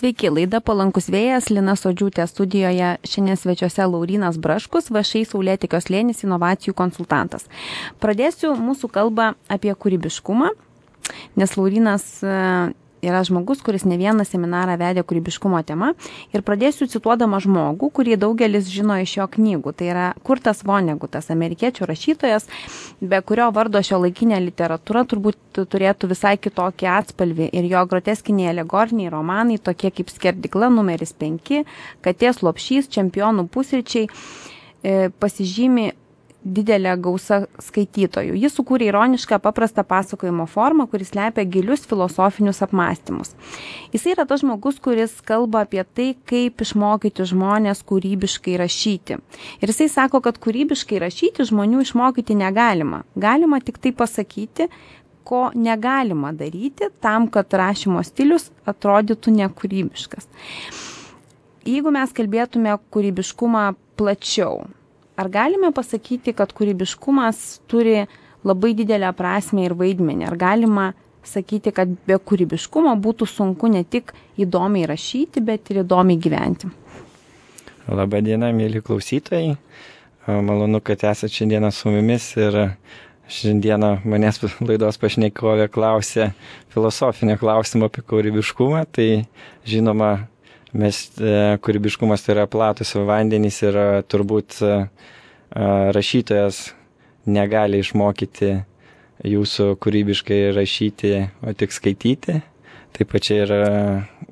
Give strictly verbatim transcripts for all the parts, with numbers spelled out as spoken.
Sveiki, laida Palankus vėjas, Lina Sodžiūtė studijoje, šiandien svečiuose Laurynas Braškus, V Š I Saulėtekio slėnis inovacijų konsultantas. Pradėsiu mūsų kalbą apie kūrybiškumą, nes Laurynas yra žmogus, kuris ne vieną seminarą vedė kūrybiškumo tema, ir pradėsiu cituodama žmogų, kurį daugelis žino iš jo knygų. Tai yra Kurtas Vonegutas, amerikiečių rašytojas, be kurio vardo šio laikinė literatūra turbūt turėtų visai kitokį atspalvį, ir jo groteskiniai alegoriniai romanai, tokie kaip Skerdykla numeris penki, Katės lopšys, Čempionų pusryčiai, pasižymi didelė gausa skaitytojų. Jis sukūrė ironišką paprastą pasakojimo formą, kuris lepia gilius filosofinius apmąstymus. Jis yra tas žmogus, kuris kalba apie tai, kaip išmokyti žmonės kūrybiškai rašyti. Ir jisai sako, kad kūrybiškai rašyti žmonių išmokyti negalima. Galima tik tai pasakyti, ko negalima daryti tam, kad rašymo stilius atrodytų nekūrybiškas. Jeigu mes kalbėtume kūrybiškumą plačiau, ar galime pasakyti, kad kūrybiškumas turi labai didelę prasmę ir vaidmenį? Ar galima sakyti, kad be kūrybiškumo būtų sunku ne tik įdomiai rašyti, bet ir įdomiai gyventi? Labą dieną, mėly klausytojai. Malonu, kad esate šiandieną su mumis, ir šiandieną manęs laidos pašnekovė klausė filosofinio klausimo apie kūrybiškumą. Tai žinoma, mes, kūrybiškumas tai yra platus vandenys, ir turbūt rašytojas negali išmokyti jūsų kūrybiškai rašyti, o tik skaityti. Taip pat čia yra,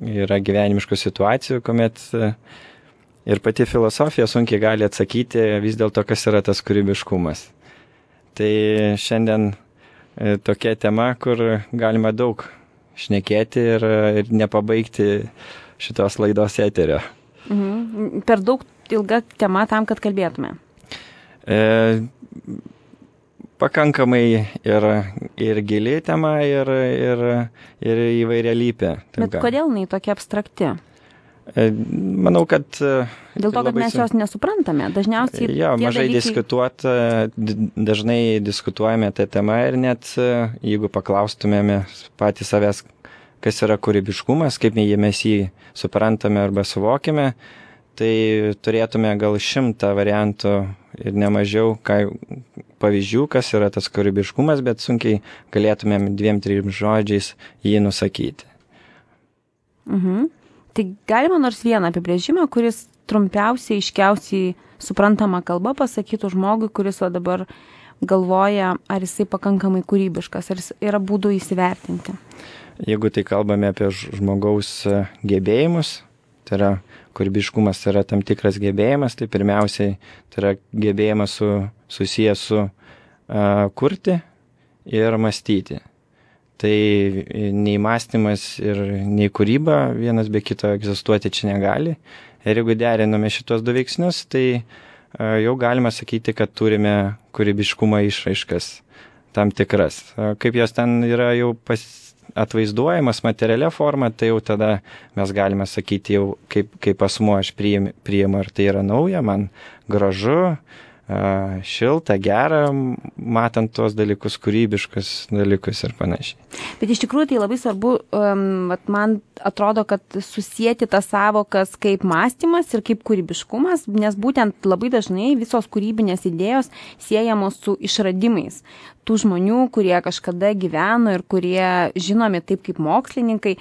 yra gyvenimiškų situacijų, kuomet ir pati filosofija sunkiai gali atsakyti vis dėlto, kas yra tas kūrybiškumas. Tai šiandien tokia tema, kur galima daug šnekėti ir, ir nepabaigti šitos laidos eterio. Mhm. Per daug ilga tema tam, kad kalbėtume? E, pakankamai ir, ir gili tema, ir, ir, ir įvairialypė. Bet kodėl jinai tokia abstrakti? E, manau, kad... Dėl to, kad mes jos nesuprantame. Dažniausiai... Jo, mažai dalykai... diskutuot, dažnai diskutuojame tą temą, ir net jeigu paklaustumėme patys savęs, kas yra kūrybiškumas, kaip mes jį suprantame arba suvokime, tai turėtume gal šimtą variantų ir nemažiau ką, pavyzdžių, kas yra tas kūrybiškumas, bet sunkiai galėtumėm dviem, trim žodžiais jį nusakyti. Mhm. Tai galima nors vieną apibrėžimą, kuris trumpiausiai, aiškiausiai suprantama kalba pasakytų žmogui, kuris o dabar galvoja, ar jisai pakankamai kūrybiškas, ar yra būdų įsivertinti. Jeigu tai kalbame apie žmogaus gebėjimus, tai yra kūrybiškumas, tai yra tam tikras gebėjimas, tai pirmiausiai tai yra gebėjimas su, susijęs su uh, kurti ir mąstyti. Tai nei mąstymas ir nei kūryba vienas be kito egzistuoti čia negali. Ir jeigu deriname šitos du veiksnius, tai uh, jau galima sakyti, kad turime kūrybiškumo išraiškas tam tikras. Uh, kaip jos ten yra jau pas atvaizduojamas materialia forma, tai jau tada mes galime sakyti jau, kaip, kaip asmuo aš priimu, priimu, ar tai yra nauja, man gražu, šilta, gera, matant tuos dalykus, kūrybiškus dalykus ir panašiai. Bet iš tikrųjų tai labai svarbu, um, man atrodo, kad susijęti tas savokas kaip mąstymas ir kaip kūrybiškumas, nes būtent labai dažnai visos kūrybinės idėjos siejamos su išradimais tų žmonių, kurie kažkada gyveno ir kurie žinomi taip kaip mokslininkai.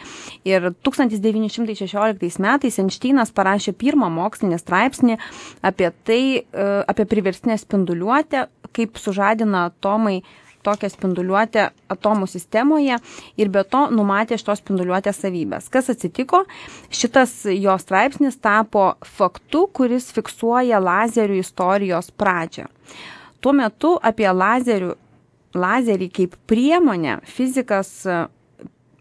Ir tūkstantis devyni šimtai šešioliktais metais Einšteinas parašė pirmą mokslinį straipsnį apie tai, apie priverstinę spinduliuotę, kaip sužadina atomai tokią spinduliuotę atomų sistemoje, ir be to numatė šitos spinduliuotės savybės. Kas atsitiko? Šitas jo straipsnis tapo faktu, kuris fiksuoja lazerių istorijos pradžią. Tuo metu apie lazerių lazerį kaip priemonę fizikas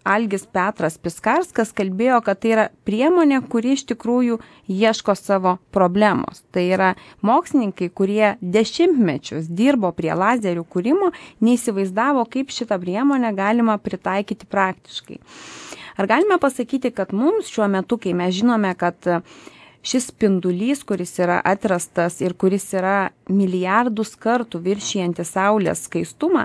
Algis Petras Piskarskas kalbėjo, kad tai yra priemonė, kuri iš tikrųjų ieško savo problemos. Tai yra mokslininkai, kurie dešimtmečius dirbo prie lazerių kūrimo, neįsivaizdavo, kaip šitą priemonę galima pritaikyti praktiškai. Ar galime pasakyti, kad mums šiuo metu, kai mes žinome, kad šis spindulys, kuris yra atrastas ir kuris yra milijardus kartų viršijantis Saulės skaistumą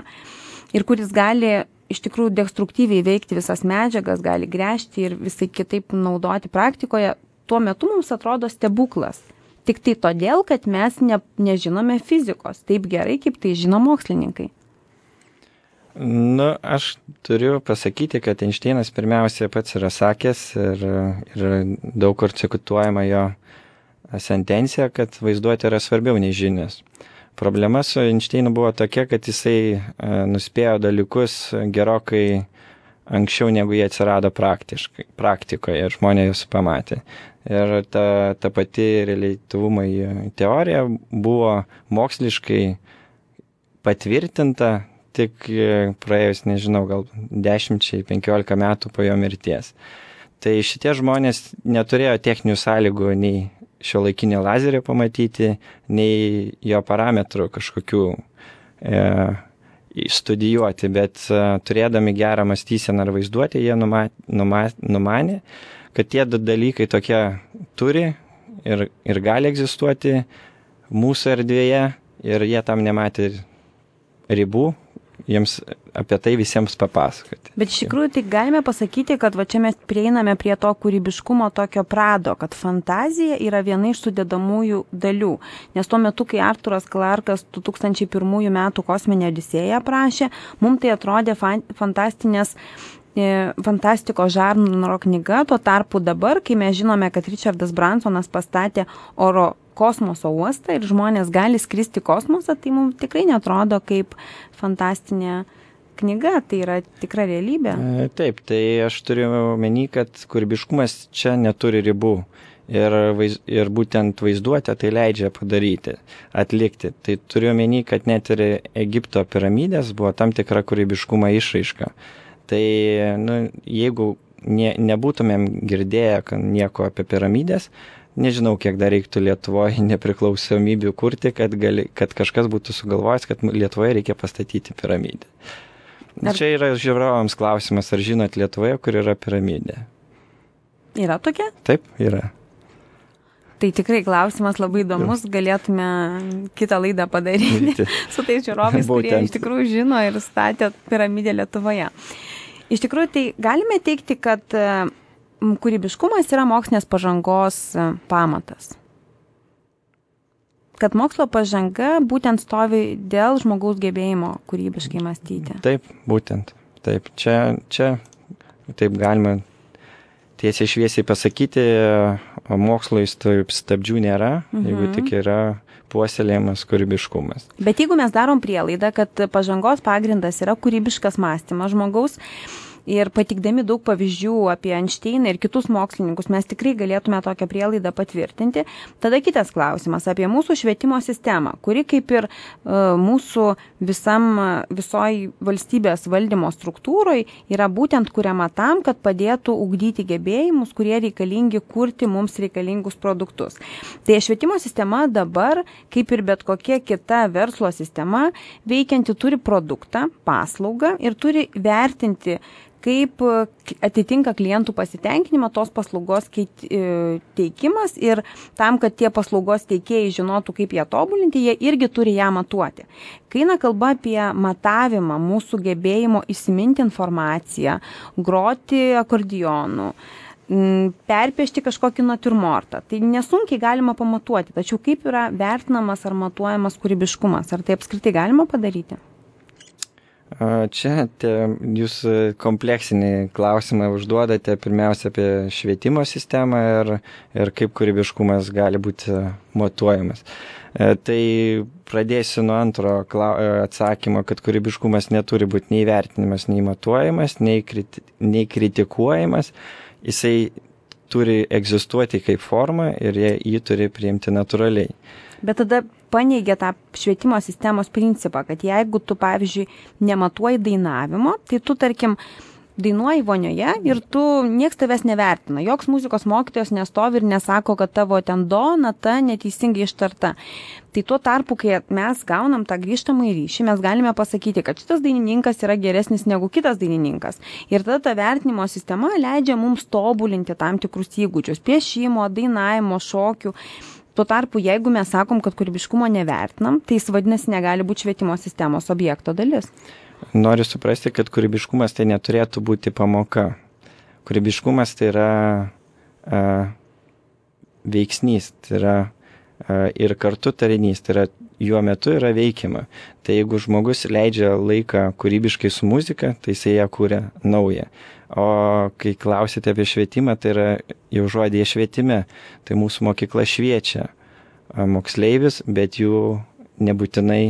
ir kuris gali iš tikrųjų destruktyviai veikti visas medžiagas, gali gręžti ir visai kitaip naudoti praktikoje, tuo metu mums atrodo stebuklas. Tik tai todėl, kad mes ne, nežinome fizikos taip gerai, kaip tai žino mokslininkai. Nu, aš turiu pasakyti, kad Einšteinas pirmiausia pats yra sakęs ir, ir daug kur cituojama jo sentencija, kad vaizduotė yra svarbiau nei žinios. Problema su Einšteinu buvo tokia, kad jisai nuspėjo dalykus gerokai anksčiau, negu jie atsirado praktikoje ir žmonės juos pamatė. Ir ta, ta pati reliatyvumo teorija buvo moksliškai patvirtinta tik praėjus, nežinau, gal dešimčiai, penkiolika metų po jo mirties. Tai šitie žmonės neturėjo techninių sąlygų nei šiuolaikinį lazerį pamatyti, nei jo parametrų kažkokių e, studijuoti, bet e, turėdami gerą mąstyseną ar vaizduotę, jie numa, numa, numanė, kad tie dalykai tokie turi ir, ir gali egzistuoti mūsų erdvėje ir jie tam nematė ribų, jiems apie tai visiems papasakoti. Bet iš tikrųjų tai galime pasakyti, kad va čia mes prieiname prie to kūrybiškumo tokio prado, kad fantazija yra viena iš sudedamųjų dalių. Nes tuo metu, kai Arturas Clarkas du tūkstančiai pirmųjų metų Kosminę Odisėją aprašė, mums tai atrodė fantastinės fantastikos žanro knyga, tuo tarpu dabar, kai mes žinome, kad Richardas Bransonas pastatė oro kosmoso uostą ir žmonės gali skristi kosmosą, tai mums tikrai netrodo kaip fantastinė knyga, tai yra tikra realybė. Taip, tai aš turiu omeny, kad kūrybiškumas čia neturi ribų ir, vaiz, ir būtent vaizduotę tai leidžia padaryti, atlikti. Tai turiu omeny, kad net ir Egipto piramidės buvo tam tikra kūrybiškumo išraiška. Tai nu, jeigu ne, nebūtumėm girdėję nieko apie piramidės, nežinau, kiek dar reiktų Lietuvoje nepriklausomybių kurti, kad, gali, kad kažkas būtų sugalvojęs, kad Lietuvoje reikia pastatyti piramidę. Ar... Čia yra žiūrovams klausimas, ar žinot Lietuvoje, kur yra piramidė? Yra tokia? Taip, yra. Tai tikrai klausimas labai įdomus, galėtume kitą laidą padaryti su tais žiūrovais, kurie iš tikrųjų žino ir statė piramidę Lietuvoje. Iš tikrųjų, tai galime teikti, kad kūrybiškumas yra mokslinės pažangos pamatas. Kad mokslo pažanga būtent stovi dėl žmogaus gebėjimo kūrybiškai mąstyti. Taip, būtent. Taip, čia, čia taip galima tiesiai šviesiai pasakyti, mokslui stabdžių nėra, mhm. jeigu tik yra puoselėjimas kūrybiškumas. Bet jeigu mes darom prielaidą, kad pažangos pagrindas yra kūrybiškas mąstymas žmogaus, ir patikdami daug pavyzdžių apie Einšteiną ir kitus mokslininkus, mes tikrai galėtume tokią prielaidą patvirtinti. Tada kitas klausimas apie mūsų švietimo sistemą, kuri kaip ir uh, mūsų visam, visoj valstybės valdymo struktūroj yra būtent kuriama tam, kad padėtų ugdyti gebėjimus, kurie reikalingi kurti mums reikalingus produktus. Tai švietimo sistema dabar, kaip ir bet kokia kita verslo sistema, veikianti turi produktą, paslaugą ir turi vertinti, kaip atitinka klientų pasitenkinimą tos paslaugos teikimas ir tam, kad tie paslaugos teikėjai žinotų, kaip ją tobulinti, jie irgi turi ją matuoti. Kai eina kalba apie matavimą mūsų gebėjimo įsiminti informaciją, groti akordionu, perpiešti kažkokį natiurmortą, tai nesunkiai galima pamatuoti, tačiau kaip yra vertinamas ar matuojamas kūrybiškumas, ar tai apskritai galima padaryti? Čia te, jūs kompleksinį klausimą užduodate pirmiausia apie švietimo sistemą ir, ir kaip kūrybiškumas gali būti matuojamas. Tai pradėsiu nuo antro atsakymo, kad kūrybiškumas neturi būti nei vertinimas, nei matuojamas, nei, kriti, nei kritikuojamas. Jisai turi egzistuoti kaip forma ir jie, jį turi priimti natūraliai. Bet tada paneigia tą švietimo sistemos principą, kad jeigu tu, pavyzdžiui, nematuoji dainavimo, tai tu, tarkim, dainuoji vonioje ir tu nieks tavęs nevertina. Joks muzikos mokytojas nestovi ir nesako, kad tavo ten do nata neteisingai ištarta. Tai tuo tarpu, kai mes gaunam tą grįžtamą ryšį, mes galime pasakyti, kad šitas dainininkas yra geresnis negu kitas dainininkas. Ir tada ta vertinimo sistema leidžia mums tobulinti tam tikrus įgūdžius, piešimo, dainavimo, šokių. Tuo tarpu, jeigu mes sakom, kad kūrybiškumo nevertinam, tai jis vadinasi negali būti švietimo sistemos objekto dalis. Noriu suprasti, kad kūrybiškumas tai neturėtų būti pamoka. Kūrybiškumas tai yra a, veiksnys, tai yra a, ir kartu tarinys, tai yra juo metu yra veikiama. Tai jeigu žmogus leidžia laiką kūrybiškai su muzika, tai jisai ją kūrė naują. O kai klausite apie švietimą, tai yra jau žodėje švietime, tai mūsų mokykla šviečia moksleivis, bet jų nebūtinai,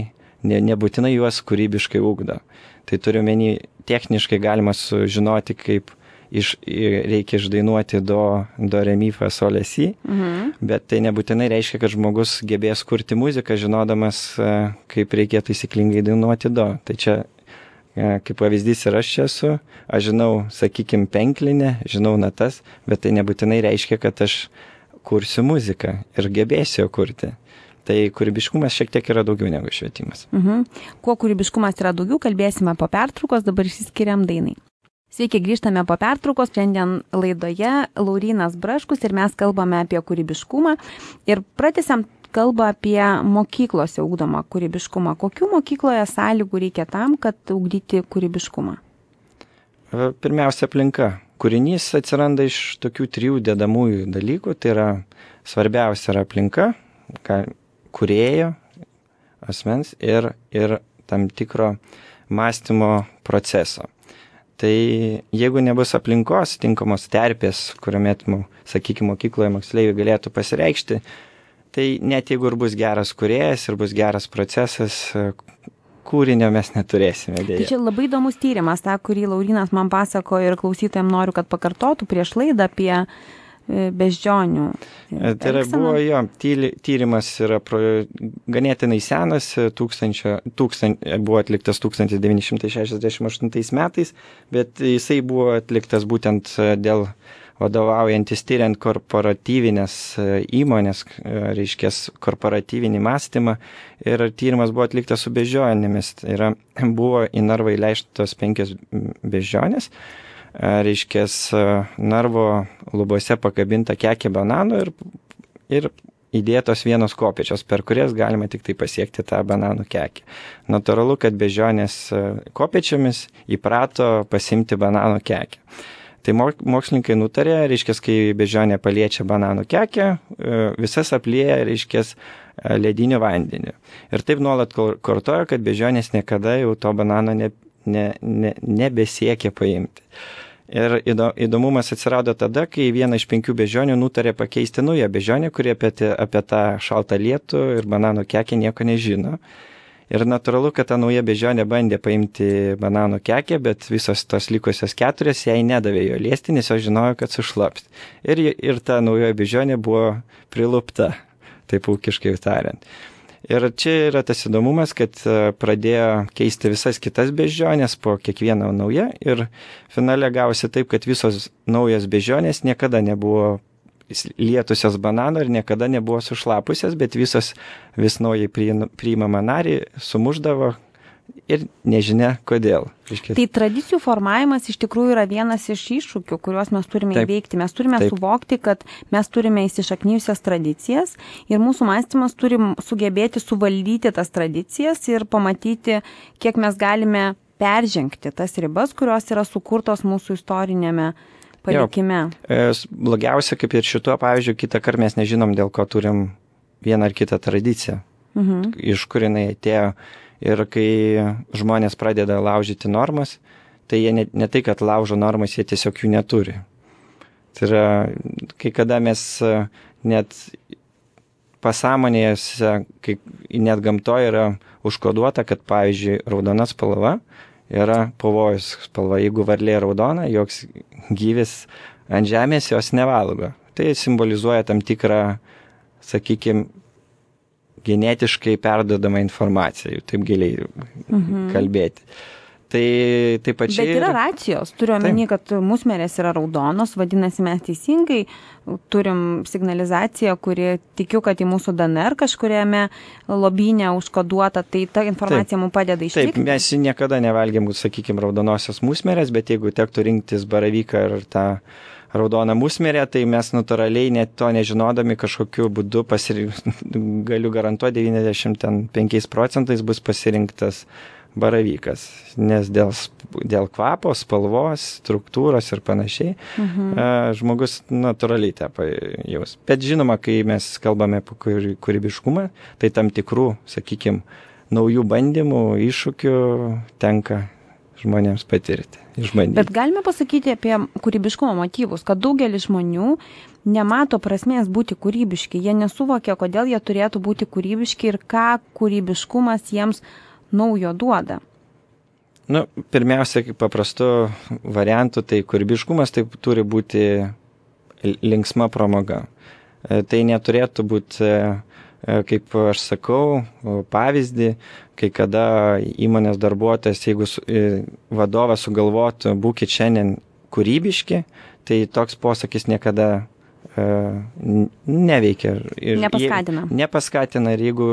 ne, nebūtinai juos kūrybiškai ugdo. Tai turiu menį, techniškai galima sužinoti, kaip iš, reikia išdainuoti do, do re mi fa sol la si, mhm. bet tai nebūtinai reiškia, kad žmogus gebės kurti muziką, žinodamas, kaip reikėtų taisyklingai dainuoti do. Tai čia, kaip pavyzdys, ir aš čia esu, aš žinau, sakykime, penklinę, žinau natas, bet tai nebūtinai reiškia, kad aš kursiu muziką ir gebėsiu kurti. Tai kūrybiškumas šiek tiek yra daugiau negu švietimas. Mhm. Kuo kūrybiškumas yra daugiau, kalbėsime po pertraukos, dabar išsiskiriam dainai. Sveiki, grįžtame po pertraukos. Šiandien laidoje Laurynas Braškus ir mes kalbame apie kūrybiškumą ir pratęsiam kalbą apie mokyklose ugdomą kūrybiškumą. Kokių mokykloje sąlygų reikia tam, kad ugdyti kūrybiškumą? Pirmiausia, aplinka. Kūrinys atsiranda iš tokių trijų dedamųjų dalykų. Tai yra svarbiausia yra aplinka, kūrėjo, asmens ir, ir tam tikro mąstymo proceso. Tai jeigu nebus aplinkos, tinkamos terpės, kuriuomet, sakykime, mokykloje moksleiviai galėtų pasireikšti, tai net jeigu ir bus geras kūrėjas ir bus geras procesas, kūrinio mes neturėsime dėja. Tai čia labai įdomus tyrimas, tą, kurį Laurynas man pasako ir klausytojams noriu, kad pakartotų prieš laidą apie beždžionių. Tai yra, buvo jo, tyrimas yra pro, ganėtinai senas, tūkstančio, tūkstant, buvo atliktas tūkstantis devyni šimtai šešiasdešimt aštuntais metais, bet jisai buvo atliktas būtent dėl vadovaujantis tyriant korporatyvinės įmonės, reiškės korporatyvinį mąstymą, ir tyrimas buvo atliktas su beždžionėmis. Tai yra, buvo į narvą įleistos penkios beždžionės, reiškės narvo lubose pakabinta kekė bananų ir, ir įdėtos vienos kopėčios, per kurias galima tik tai pasiekti tą bananų kekę. Natūralu, kad beždžionės kopėčiomis įprato pasimti bananų kekę. Tai mokslininkai nutarė, reiškės, kai beždžionė paliečia bananų kekę, visas aplieja, reiškės, lediniu vandeniu. Ir taip nuolat kartojo, kad beždžionės niekada jau to banano ne, ne, ne, nebesiekia paimti. Ir įdomumas atsirado tada, kai viena iš penkių beždžionių nutarė pakeisti naują beždžionę, kurie apie, apie tą šaltą lietų ir bananų kekę nieko nežino. Ir natūralu, kad ta nauja beždžionė bandė paimti bananų kekę, bet visos tos likusios keturios jai nedavė jo liesti, nes jos žinojo, kad sušlaps. Ir, ir ta naujoji beždžionė buvo prilupta, taip ūkiškai tariant. Ir čia yra tas įdomumas, kad pradėjo keisti visas kitas beždžionės po kiekvieną naują ir finale gavosi taip, kad visos naujos beždžionės niekada nebuvo lietusios banano ir niekada nebuvo sušlapusios, bet visos vis naujai priimamą narį sumuždavo ir nežinia kodėl. Iškės. Tai tradicijų formavimas iš tikrųjų yra vienas iš iššūkių, kuriuos mes turime taip, įveikti. Mes turime taip. suvokti, kad mes turime įsišaknyjusias tradicijas ir mūsų mąstymas turi sugebėti suvaldyti tas tradicijas ir pamatyti, kiek mes galime peržengti tas ribas, kurios yra sukurtos mūsų istorinėme palikime. Jo, blogiausia, kaip ir šituo, pavyzdžiui, kitą kartą mes nežinom, dėl ko turim vieną ar kitą tradiciją, mhm. iš kur jinai atėjo. Ir kai žmonės pradeda laužyti normas, tai jie ne, ne tai, kad laužo normas, jie tiesiog jų neturi. Tai yra, kai kada mes net pasąmonėje, kai net gamtoje yra užkoduota, kad, pavyzdžiui, raudona spalva yra pavojus spalva. Jeigu varlė raudona, joks gyvis ant žemės jos nevalgo. Tai simbolizuoja tam tikrą, sakykime, genetiškai perdodama informacija, taip giliai mhm. kalbėti. Tai taip pačiai... Bet yra racijos. Turiu omeny, kad musmirės yra raudonos, vadinasi, mes teisingai turim signalizaciją, kuri tikiu, kad į mūsų D N R kažkuriame lobyne užkoduota, tai ta informacija taip. Mums padeda išlikti. Taip, mes niekada nevalgėm, sakykime, raudonosios musmirės, bet jeigu tektų rinktis baravyką ir tą raudoną musmirę, tai mes natūraliai net to nežinodami kažkokiu būdu pasirink... galiu garantuoti devyniasdešimt penkiais procentais bus pasirinktas baravykas, nes dėl, dėl kvapo, spalvos, struktūros ir panašiai mhm. žmogus natūraliai tą pajaus. Bet žinoma, kai mes kalbame apie kūrybiškumą, tai tam tikrų, sakykime, naujų bandymų, iššūkių tenka žmonėms patirti, išbandyti. Bet galime pasakyti apie kūrybiškumo motyvus, kad daugelis žmonių nemato prasmės būti kūrybiški, jie nesuvokia, kodėl jie turėtų būti kūrybiški ir ką kūrybiškumas jiems naujo duoda. Nu, pirmiausia, kaip paprastu variantu, tai kūrybiškumas tai turi būti linksma pramoga. Tai neturėtų būti, kaip aš sakau, pavyzdį, kai kada įmonės darbuotojas, jeigu vadovas sugalvotų būkit šiandien kūrybiški, tai toks posakis niekada neveikia. Ir nepaskatina. Je, nepaskatina ir jeigu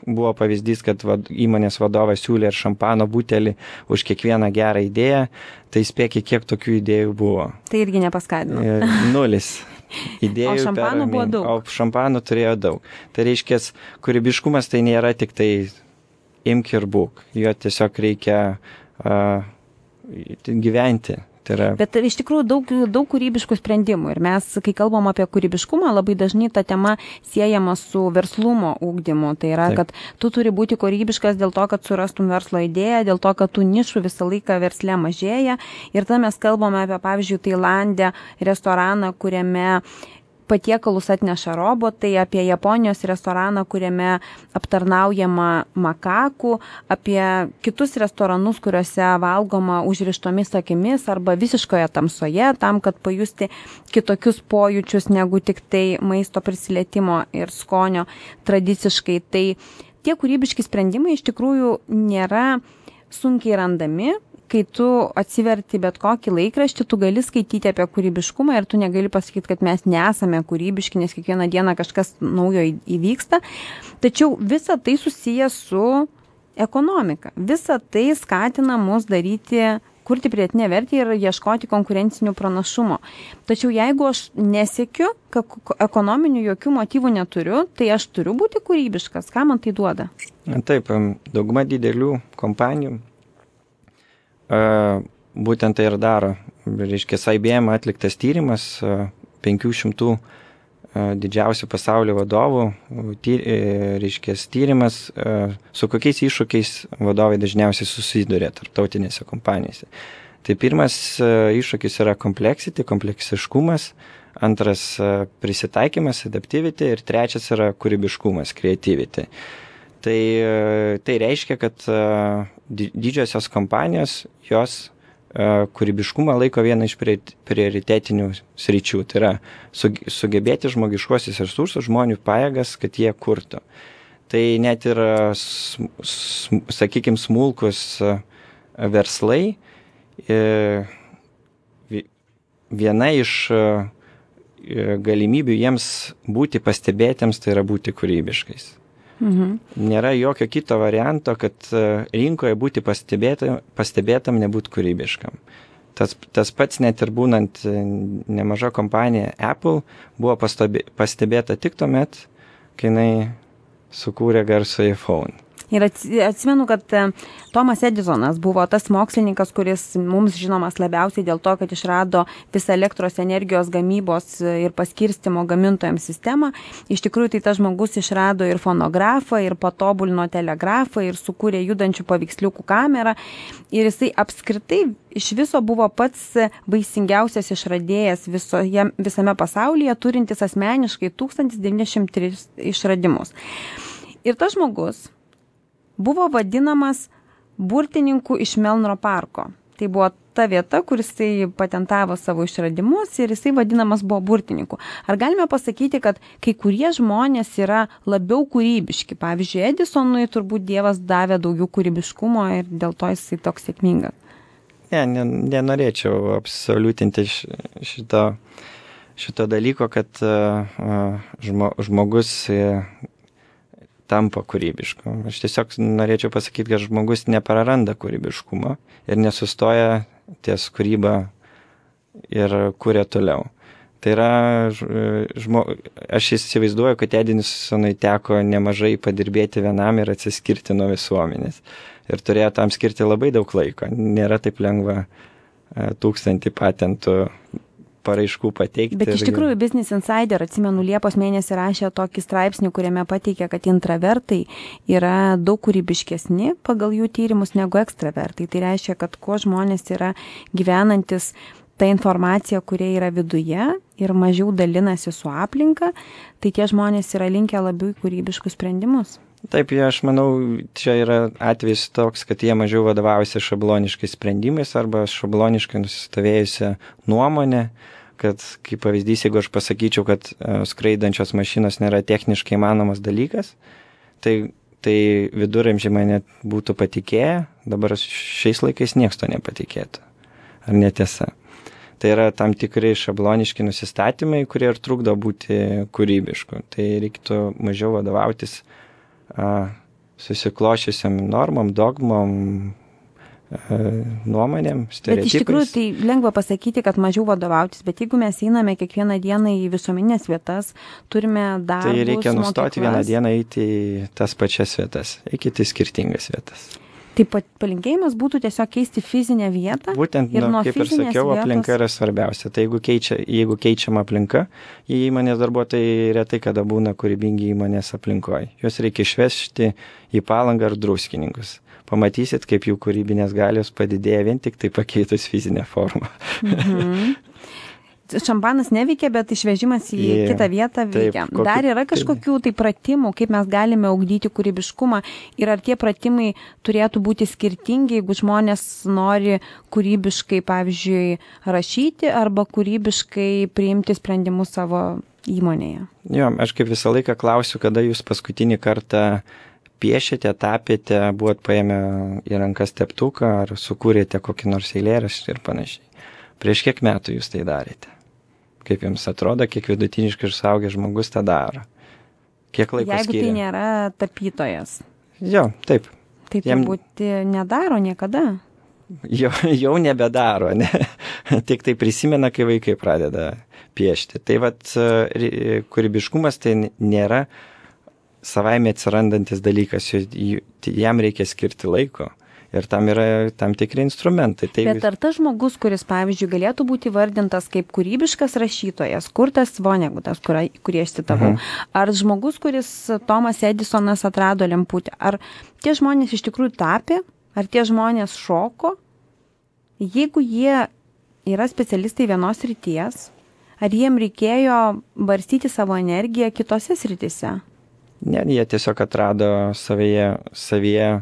buvo pavyzdys, kad vad, įmonės vadovas siūlė ir šampano butelį už kiekvieną gerą idėją, tai spėkit, kiek tokių idėjų buvo. Tai irgi nepaskatina. Nulis. Idėjų o šampanų buvo daug. O šampanų turėjo daug. Tai reiškia, kūrybiškumas tai nėra tik tai imk ir būk. Jo tiesiog reikia uh, gyventi. Tai yra... Bet iš tikrųjų daug, daug kūrybiškų sprendimų ir mes, kai kalbam apie kūrybiškumą, labai dažnai ta tema siejama su verslumo ugdymu. Tai yra, Taip. Kad tu turi būti kūrybiškas dėl to, kad surastum verslo idėją, dėl to, kad tų nišų visą laiką versle mažėja. Ir tada mes kalbame apie, pavyzdžiui, Tailande restoraną, kuriame patiekalus atneša robotai, apie Japonijos restoraną, kuriame aptarnaujama makakų, apie kitus restoranus, kuriuose valgoma užrištomis akimis arba visiškoje tamsoje, tam, kad pajusti kitokius pojūčius negu tik tai maisto prisilietimo ir skonio tradiciškai. Tai tie kūrybiški sprendimai iš tikrųjų nėra sunkiai randami. Kai tu atsiverti bet kokį laikraštį, tu gali skaityti apie kūrybiškumą ir tu negali pasakyti, kad mes nesame kūrybiški, nes kiekvieną dieną kažkas naujo įvyksta. Tačiau visa tai susiję su ekonomika. Visa tai skatina mus daryti, kurti pridėtinę vertę ir ieškoti konkurencinių pranašumo. Tačiau jeigu aš nesiekiu, kad ekonominių jokių motyvų neturiu, tai aš turiu būti kūrybiškas. Ką man tai duoda? Taip, dauguma didelių kompanijų būtent tai ir daro. Reiškia, I B M atliktas tyrimas, penkių šimtų didžiausių pasaulio vadovų, tyr, reiškia, tyrimas, su kokiais iššūkiais vadovai dažniausiai susiduria tarptautinėse kompanijose. Tai pirmas iššūkis yra complexity, kompleksiškumas, antras prisitaikymas, adaptivity ir trečias yra kūrybiškumas, creativity. Tai, tai reiškia, kad didžiosios kompanijos, jos kūrybiškumą laiko vieną iš prioritetinių sričių. Tai yra sugebėti žmogiškuosius resursus, žmonių pajėgas, kad jie kurtų. Tai net ir, sakykime, smulkus verslai, viena iš galimybių jiems būti pastebėtiems, tai yra būti kūrybiškais. Mhm. Nėra jokio kito varianto, kad rinkoje būti pastebėtam, pastebėtam nebūti kūrybiškam. Tas, tas pats net ir būnant nemaža kompanija Apple buvo pastebė, pastebėta tik tuomet, kai jinai sukūrė garsų iPhone. Ir atsimenu, kad Tomas Edisonas buvo tas mokslininkas, kuris mums žinomas labiausiai dėl to, kad išrado visą elektros energijos gamybos ir paskirstimo gamintojams sistemą. Iš tikrųjų, tai tas žmogus išrado ir fonografą, ir patobulino telegrafą, ir sukūrė judančių paveiksliukų kamerą. Ir jisai apskritai iš viso buvo pats vaisingiausias išradėjas visoje, visame pasaulyje, turintis asmeniškai tūkstantis devyni šimtai tris išradimus. Ir tas žmogus buvo vadinamas burtininku iš Melnro parko. Tai buvo ta vieta, kur jisai patentavo savo išradimus ir jisai vadinamas buvo burtininku. Ar galime pasakyti, kad kai kurie žmonės yra labiau kūrybiški? Pavyzdžiui, Edisonui turbūt Dievas davė daugiau kūrybiškumo ir dėl to jisai toks sėkmingas. Ne, nenorėčiau absoliutinti šito, šito dalyko, kad žmo, žmogus tampa kūrybišku. Aš tiesiog norėčiau pasakyti, kad žmogus nepraranda kūrybiškumo ir nesustoja ties kūryba ir kuria toliau. Tai yra, žmo, aš įsivaizduoju, kad Edisonui teko nemažai padirbėti vienam ir atsiskirti nuo visuomenės. Ir turėjo tam skirti labai daug laiko. Nėra taip lengva tūkstantį patentų paraiškų pateikti. Bet iš tikrųjų Business Insider, atsimenu, Liepos mėnesį rašė tokį straipsnį, kuriame pateikė, kad intravertai yra daug kūrybiškesni pagal jų tyrimus negu ekstravertai. Tai reiškia, kad kuo žmonės yra gyvenantis ta informacija, kurie yra viduje ir mažiau dalinasi su aplinka, tai tie žmonės yra linkę labiau kūrybiškus sprendimus. Taip, aš manau, čia yra atvejis toks, kad jie mažiau vadovaujasi šabloniškais sprendimais arba šabloniškai nusistovėjusią nuomonę, kad, kaip pavyzdys, jeigu aš pasakyčiau, kad skraidančios mašinos nėra techniškai įmanomas dalykas, tai, tai viduramžiai mane būtų patikėję, dabar šiais laikais nieks to nepatikėtų. Ar netiesa? Tai yra tam tikrai šabloniški nusistatymai, kurie ir trukdo būti kūrybišku. Tai reiktų mažiau vadovautis a, susiklošiusiam normom, dogmom, a, nuomonėm, stereotipais. Bet iš tikrųjų tai lengva pasakyti, kad mažiau vadovautis, bet jeigu mes einame kiekvieną dieną į visuomeninės vietas, turime darbus, tai reikia nustoti mokyklas. Vieną dieną eiti į tas pačias vietas, eikite į skirtingas vietas. Tai palinkėjimas būtų tiesiog keisti fizinę vietą. Būtent, ir nu, kaip ir sakiau, vietos... aplinka yra svarbiausia. Tai jeigu, keičia, jeigu keičiama aplinka, įmonės darbuotojai retai kada būna kūrybingi įmonės aplinkoje. Juos reikia išvežti į Palangą ar Druskininkus. Pamatysit, kaip jų kūrybinės galios padidėja vien tik tai pakeitus fizinę formą. Mhm. Šampanas neveikia, bet išvežimas į yeah, kitą vietą veikia. Taip, kokiu, Dar yra kažkokių tai pratimų, kaip mes galime ugdyti kūrybiškumą ir ar tie pratimai turėtų būti skirtingi, jeigu žmonės nori kūrybiškai, pavyzdžiui, rašyti arba kūrybiškai priimti sprendimus savo įmonėje. Jo, aš kaip visą laiką klausiu, kada jūs paskutinį kartą piešėte, tapėte, buvot paėmę į rankas teptuką ar sukūrėte kokį nors eilėraštį ir panašiai. Prieš kiek metų jūs tai darėte? Kaip jums atrodo, kiek vidutiniškai ir suaugęs žmogus tą daro? Kiek laiko Jeigu skiria? Tai nėra tapytojas. Jo, taip. Tai turbūt Jam... nedaro niekada. Jo, jau nebedaro, ne? Tik tai prisimena, kai vaikai pradeda piešti. Tai vat, kūrybiškumas tai nėra savaime atsirandantis dalykas, jam reikia skirti laiko. Ir tam yra tam tikri instrumentai. Tai Bet ar tas žmogus, kuris, pavyzdžiui, galėtų būti vardintas kaip kūrybiškas rašytojas, Kurtas Vonegutas, kurį aš citavau, uh-huh. ar žmogus, kuris Tomas Edisonas atrado lemputę, ar tie žmonės iš tikrųjų tapė, ar tie žmonės šoko, jeigu jie yra specialistai vienos srities, ar jiem reikėjo barstyti savo energiją kitose srityse? Ne, jie tiesiog atrado savyje, savyje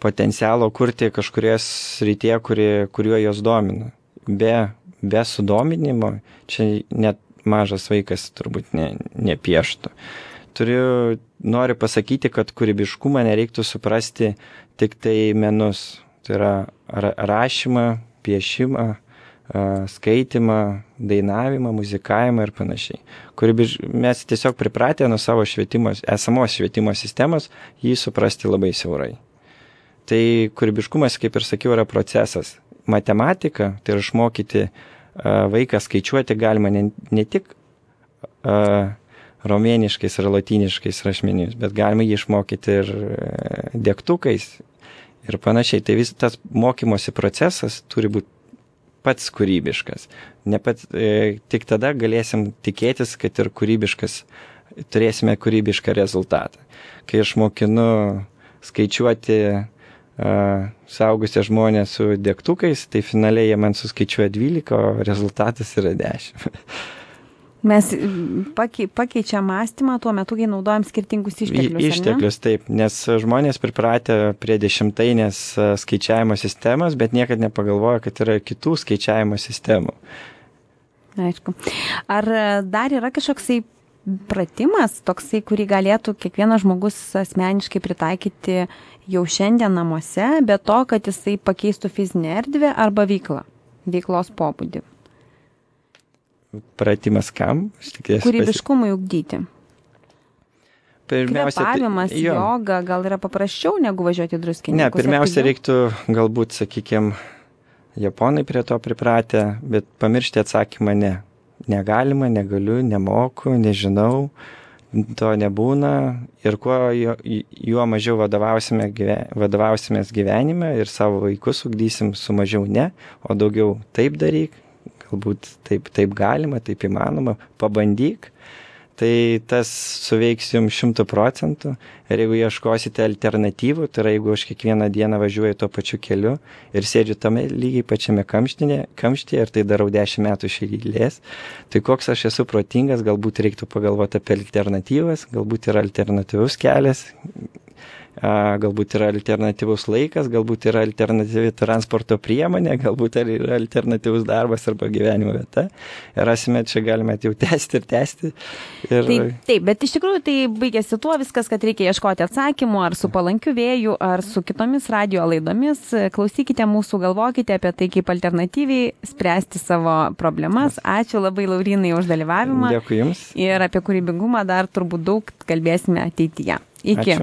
potencialo kurti kažkurioje srityje, kuri, kuriuo jos domina. Be, be sudominimo, čia net mažas vaikas turbūt ne, nepieštų. Turiu, noriu pasakyti, kad kūrybiškumą nereiktų suprasti tik tai menus. Tai yra rašymą, piešimą, skaitimą, dainavimą, muzikavimą ir panašiai. Kūrybiš... Mes tiesiog pripratę nuo savo švietimo, esamos švietimo sistemos jį suprasti labai siaurai. Tai kūrybiškumas, kaip ir sakiau, yra procesas. Matematika, tai yra išmokyti uh, vaiką skaičiuoti galima ne, ne tik uh, romėniškais ar lotyniškais rašmenimis, bet galima jį išmokyti ir uh, degtukais ir panašiai. Tai vis tas mokymosi procesas turi būti pats kūrybiškas. Ne pat, e, tik tada galėsim tikėtis, kad ir kūrybiškas, turėsime kūrybišką rezultatą. Kai aš mokinu skaičiuoti saugusią žmonės su degtukais, tai finaliai jie man suskaičiuoja dvylika, o rezultatas yra dešimt. Mes pakei, pakeičiam mąstymą tuo metu, kai naudojam skirtingus išteklius. Išteklius, taip, nes žmonės pripratę prie dešimtainės skaičiavimo sistemos, bet niekad nepagalvoja, kad yra kitų skaičiavimo sistemų. Aišku. Ar dar yra kažkoksai pratimas, toksai, kurį galėtų kiekvienas žmogus asmeniškai pritaikyti jau šiandien namuose, be to, kad jisai pakeistų fizinę erdvę arba veiklą, veiklos pobūdį? Pratimas kam? Kūrybiškumui ugdyti. Pirmiausia, Kvėpavimas, tai, jo. joga, gal yra paprasčiau negu važiuoti į Druskininkus? Ne, pirmiausia, reiktų galbūt, sakykime, japonai prie to pripratę, bet pamiršti atsakymą ne. negalima, negaliu, nemoku, nežinau, to nebūna ir kuo juo, juo mažiau vadovausime, vadovausimės gyvenime ir savo vaikus ugdysim su mažiau ne, o daugiau taip daryk, galbūt taip, taip galima, taip įmanoma, pabandyk, tai tas suveiks jums šimtų procentų. Ir jeigu ieškosite alternatyvų, tai yra jeigu aš kiekvieną dieną važiuoju tuo pačiu keliu ir sėdžiu tame lygiai pačiame kamštyje, kamštyje ir tai darau dešimt metų iš eilės, tai koks aš esu protingas, galbūt reiktų pagalvoti apie alternatyvas, galbūt yra alternatyvus kelias, galbūt yra alternatyvus laikas, galbūt yra alternatyvi transporto priemonė, galbūt yra alternatyvus darbas arba gyvenimo vieta. Ir rasime, čia galime jau tęsti ir tęsti. Ir... Taip, taip, bet iš tikrųjų tai baigėsi tuo viskas, kad reikia ieškoti atsakymų ar su palankiu vėju, ar su kitomis radio laidomis. Klausykite mūsų, galvokite apie tai, kaip alternatyviai spręsti savo problemas. Ačiū labai, Laurynai, už dalyvavimą. Dėkui Jums. Ir apie kūrybingumą dar turbūt daug kalbėsime ateityje. Iki. Ačiū.